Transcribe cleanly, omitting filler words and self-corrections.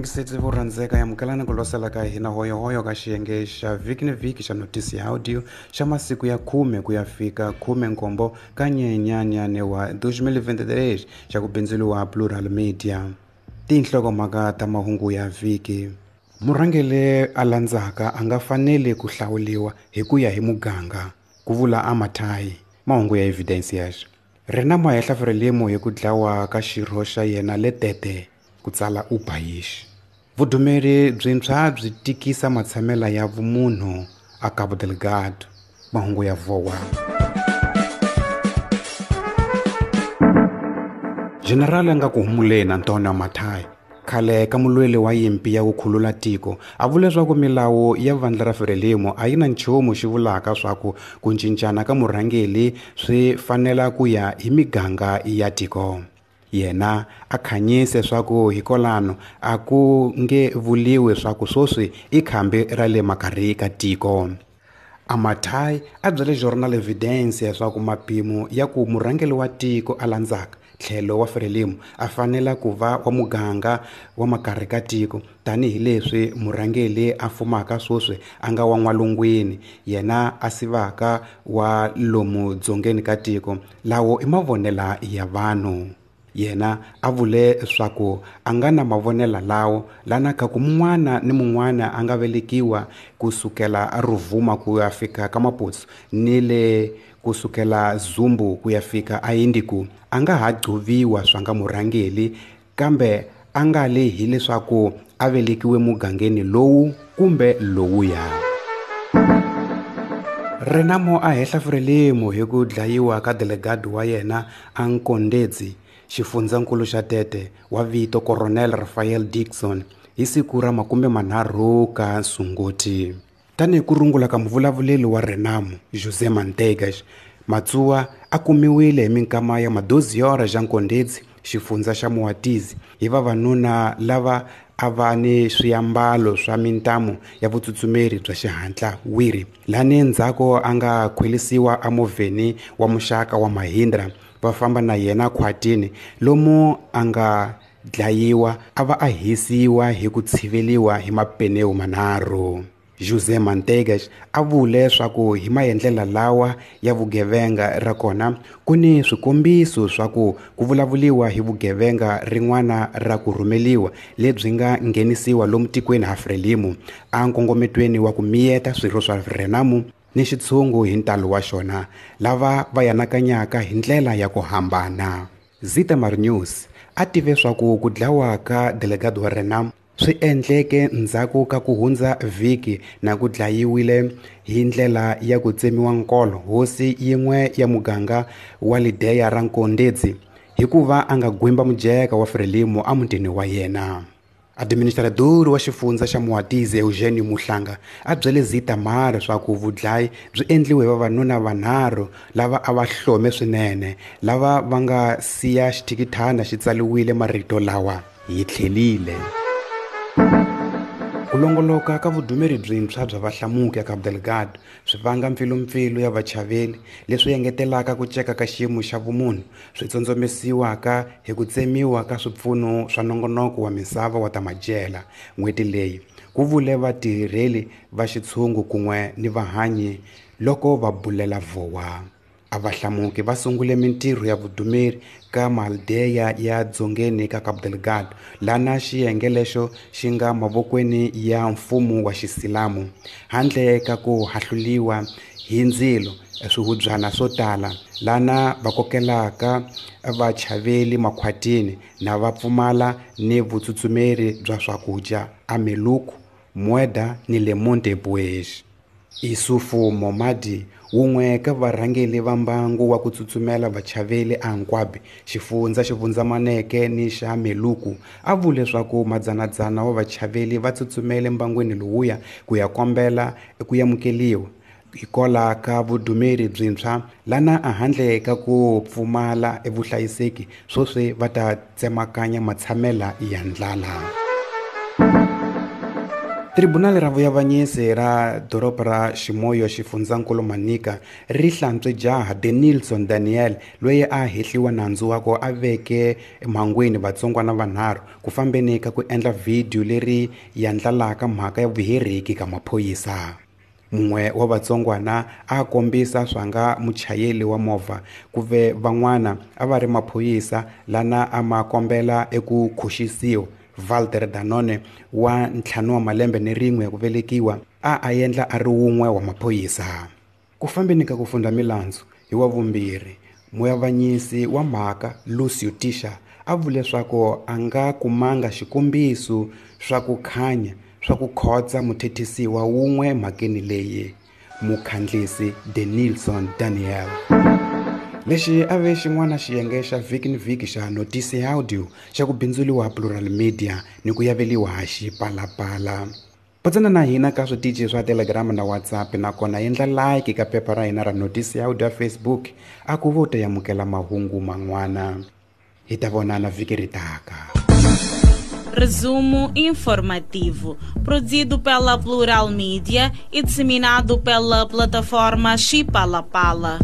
Vayingiseti vo rhandzeka, amukelani ku losela ka hina hoyohoyo ka xiyenge xa vhiki ni vhiki xa notisi ya audio xa masiku ya 10 ku ya fika 17 ka Nyenyenyane wa 2023 xa ku bindzuriwa Plural Media. Tinhlokomhaka ta mahungu ya vhiki. Murhangeri a landzaka a nga faneli ku hlawuriwa hi ku ya hi muganga, ku vula Amatai. Mahungu ya Evidencias. Renamo a hehla Frelimo hi ku dlawa ka xirho xa yena Letete, ku tsala Ubayish. Vudumeri byintshwa byi tikisa matshamela ya vumunhu a Cabo Delgado. Mahungu ya Vowa. General a nga ku humuleni Antonio Mathai, khale ka mulweli wa yimpi ya ku khulula tiko, a vule leswaku milawu ya vandla ra Frelimo a yi na nchumu xi vulaka swa ku ku cincana ka murhangeri swi fanela ku ya hi miganga ya tiko. Yena a khanyise swa ku hikwalano a ku nge vuliwi swa ku sweswi i khambi ra le makarhi ka tiko. Amathai a byele Jornal Evidencia swa ku mapimo ya ku murhangeri wa tiko a landzaka tlhelo wa Frelimo a fanela ku va wa muganga wa makarhi ka tiko, tanihileswi murhangeri a fumaka sweswi a nga wa n'walungwini, yena a sivaka wa lomu dzongeni ka tiko. Lawo i mavonelo ya vanhu. Yena a vule swa ku a nga na mavonelo lawo lana ka ku mun'wana ni mun'wana a nga velekiwa kusukela a Ruvuma ku ya fika ka Maputo ni le kusukela Zumbu ku ya fika a Indiku a nga ha gcoviwa swa nga murhangeri, kambe a nga le hileswaku a velekiwe mugangeni lowu kumbe lowuya. Renamo a hehla Frelimo hi ku dlayiwa ka delegado wa yena a Nkondedzi, xifundzankulu xa Tete wa vito Coronel Rafael Dixon hi siku ra 30 ka Sunguti. Tanihi ku rungula ka muvulavuleri wa Renamo, José Manteigas, Matsuwa a kumiwile hi minkama ya 12 xa Nkondedzi, xifundza xa Moatize, hi vavanuna lava a va ni swiambalo swa mintamu ya vutsutsumeri bya xihatla wiri, lani ndzhaku a nga khwelisiwa emovheni wa muxaka wa Mahindra va famba na yena khwatini lomu a nga dlayiwa a va a hisiwa hi ku tshiveliwa hi mapenewu manharhu. José Manteigas a vule swa ku hi maendlela lawa ya vugevenga ra kona ku ni swikombiso swa ku ku vulavuliwa hi vugevenga rin'wana ra ku rhumeliwa lebyi nga nghenisiwa lomu tikweni ha Frelimo a nkongometweni wa ku miyeta swirho swa Renamo ni xitshungu hi ntalo wa xona lava va yanakanyaka hi ndlela ya ku hambana. Zitamar News a tive swa ku ku dlawa ka delegado wa Renamo swi endleke ndzhaku ka ku hundza vhiki na ku dlayiwile hi ndlela ya ku tsemiwa nkolo hosi yin'we ya muganga wa Lideya ra Nkondedzi hikuva a nga gwimba mujeka wa Frelimo emutini wa yena. Administrador wa xifundza xa Moatize Eugenio Muhlanga a byele Zitamar swa ku vudlayi byi endliwe hi vavanuna vanharhu lava a va hlome swinene, lava va nga siya xithikithana xi tsaliwile marito lawa: hi tlhelile. Ku longoloka ka vudumeri byintshwa bya vahlamuki a Cabo Delgado swi vanga mpfilumpfilu ya vachaveli, leswi engetelaka ku ceka ka xiyimo xa vumunhu, swi tsondzomisiwaka hi ku tsemiwa ka swipfuno swa nongonoko wa misava wa ta madyela n'hweti leyi, ku vule vatirheli va xitshungu kun'we ni vahanyi loko va bulela Vowa. A vahlamuki va sungule mintirho ya vudumeri ka Maldeya ya dzongeni ka Cabo Delgado, lana xiyenge lexo xi nga mavokweni ya mfumo wa xisilamu, handle ka ku hahluliwa hi ndzilo swihubyana swo tala, lana va kokelaka vachaveli makhwatini na va pfumala ni vutsutsumeri bya swakudya a Meluku, Mueda ni le Montepuez. Isufu Momadi, wun'we ka varhangeri va mbangu wa ku tsutsumela vachaveli a Nkwabi, xifundza xi vundzamaneke ni xa Meluku, a vule swa ku madzanadzana wa vachaveli va tsutsumele mbangwini lowuya ku ya kombela ku amukeliwa hikwalaho ka vudumeri byintshwa lana a handle ka ku pfumala evuhlayiseki sweswi va ta tsemakanya matshamela ya ndlala. Tribunali ra vuyavanyisi ra doroba ra Chimoio xifundzankulu Manica ri hlantswe jaha Denilson Daniel loyi a hehliwa nandzu wa ku a veke emhangwini vatsongwana vanharhu ku fambeni ka ku endla vhidiyo leri yandlalaka mhaka ya vuheriki ka maphorisa. Mun'we wa vatsongwana a kombisa swanga muchayeri wa movha ku ve van'wana a va ri maphorisa lana a ma kombela eku khuxisiwa. Walter Danone wa 51 wa malembe ni rin'we ku velekiwa a a endla a ri wun'we wa maphorisa. Ku fambeni ka ku funda milandzu hi wa vumbirhi, muyavanyisi wa mhaka Lucio Tisha a vule leswaku a nga kumanga xikombiso swa ku khanya swa ku khotsa muthethisiwa wun'we mhakeni leyi, mukhandlisi Denilson Daniel. Lexi a ve xin'wana xiyenge xa vhiki ni vhiki xa Notice Audio xa ku bindzuliwa Plural Media ni ku yaveliwa Xipalapala. Phatsana na hina ka switichi swa Telegram na WhatsApp, nakona endla like ka phepha ra hina ra Notice Audio ya Facebook a ku vo ta yamukela mahungu man'wana. Hi ta vonana vhiki ri taka. Resumo informativo, produzido pela Plural Mídia e disseminado pela plataforma Xipalapala.